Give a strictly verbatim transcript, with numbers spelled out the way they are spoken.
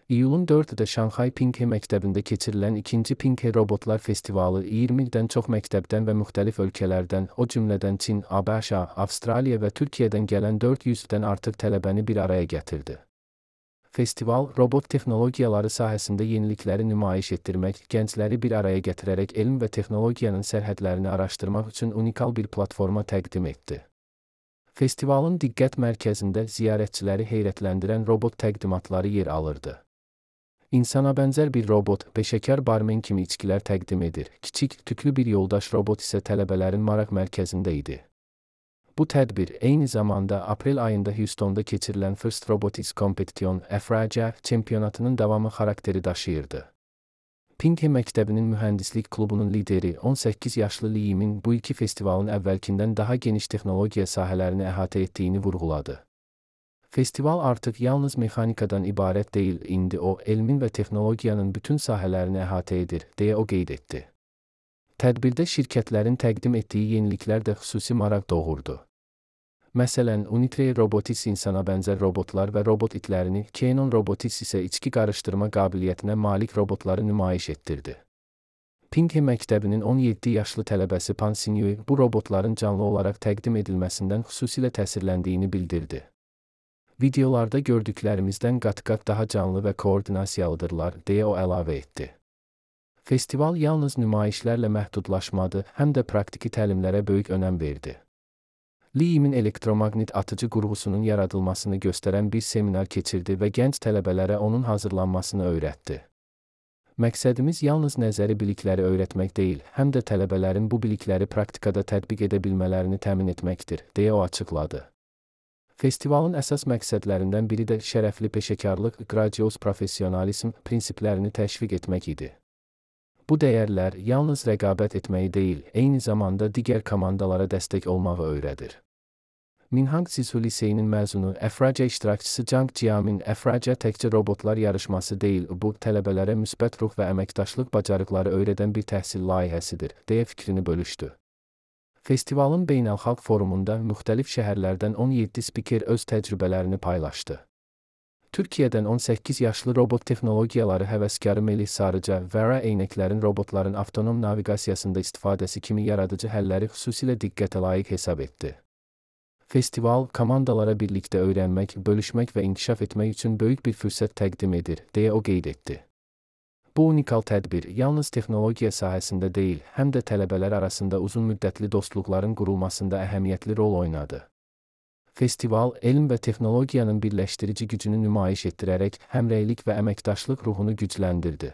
İyulun dördündə Şanxay Pinghe məktəbində keçirilən ikinci Pinghe Robotlar Festivalı iyirmidən çox məktəbdən və müxtəlif ölkələrdən, o cümlədən Çin, ABŞ, Avstraliya və Türkiyədən gələn dörd yüzdən artıq tələbəni bir araya gətirdi. Festival, robot texnologiyaları sahəsində yenilikləri nümayiş etdirmək, gəncləri bir araya gətirərək elm və texnologiyanın sərhədlərini araşdırmaq üçün unikal bir platforma təqdim etdi. Festivalın diqqət mərkəzində ziyarətçiləri heyrətləndirən robot təqdimatları yer alırdı. İnsana bənzər bir robot, peşəkar barmen kimi içkilər təqdim edir. Kiçik, tüklü bir yoldaş robot isə tələbələrin maraq mərkəzində idi. Bu tədbir, eyni zamanda aprel ayında Houstonda keçirilən First Robotics Competition F R C çempionatının davamı xarakteri daşıyırdı. Pinghe məktəbinin mühəndislik klubunun lideri on səkkiz yaşlı Li Yimin bu iki festivalın əvvəlkindən daha geniş texnologiya sahələrini əhatə etdiyini vurğuladı. Festival artıq yalnız mexanikadan ibarət deyil, indi o, elmin və texnologiyanın bütün sahələrini əhatə edir, deyə o qeyd etdi. Tədbirdə şirkətlərin təqdim etdiyi yeniliklər də xüsusi maraq doğurdu. Məsələn, Unitree Robotics insana bənzər robotlar və robot itlərini, Canon Robotics isə içki qarışdırma qabiliyyətinə malik robotları nümayiş etdirdi. Pinghe məktəbinin on yeddi yaşlı tələbəsi Pan Sinyue bu robotların canlı olaraq təqdim edilməsindən xüsusilə təsirləndiyini bildirdi. Videolarda gördüklərimizdən qat-qat daha canlı və koordinasiyalıdırlar, deyə o əlavə etdi. Festival yalnız nümayişlərlə məhdudlaşmadı, həm də praktiki təlimlərə böyük önəm verdi. Li Yimin elektromaqnit atıcı qurğusunun yaradılmasını göstərən bir seminar keçirdi və gənc tələbələrə onun hazırlanmasını öyrətdi. Məqsədimiz yalnız nəzəri bilikləri öyrətmək deyil, həm də tələbələrin bu bilikləri praktikada tətbiq edə bilmələrini təmin etməkdir, deyə o açıqladı. Festivalın əsas məqsədlərindən biri də şərəfli peşəkarlıq, qrandios professionalizm prinsiplərini təşviq etmək idi. Bu dəyərlər yalnız rəqabət etməyi deyil, eyni zamanda digər komandalara dəstək olmağı öyrədir. Minhang Sisu Liseyinin məzunu, F R C iştirakçısı Zhang Jiamin, F R C təkcə robotlar yarışması deyil, bu, tələbələrə müsbət ruh və əməkdaşlıq bacarıqları öyrədən bir təhsil layihəsidir, deyə fikrini bölüşdü. Festivalın beynəlxalq forumunda müxtəlif şəhərlərdən on yeddi spiker öz təcrübələrini paylaşdı. Türkiyədən on səkkiz yaşlı robot texnologiyaları həvəskarı Melih Sarıca, Vera eynəklərin robotların avtonom naviqasiyasında istifadəsi kimi yaradıcı həlləri xüsusilə diqqətə layiq hesab etdi. Festival, komandalara birlikdə öyrənmək, bölüşmək və inkişaf etmək üçün böyük bir fürsət təqdim edir, deyə o qeyd etdi. Bu unikal tədbir yalnız texnologiya sahəsində deyil, həm də tələbələr arasında uzun müddətli dostluqların qurulmasında əhəmiyyətli rol oynadı. Festival, elm və texnologiyanın birləşdirici gücünü nümayiş etdirərək həmrəylik və əməkdaşlıq ruhunu gücləndirdi.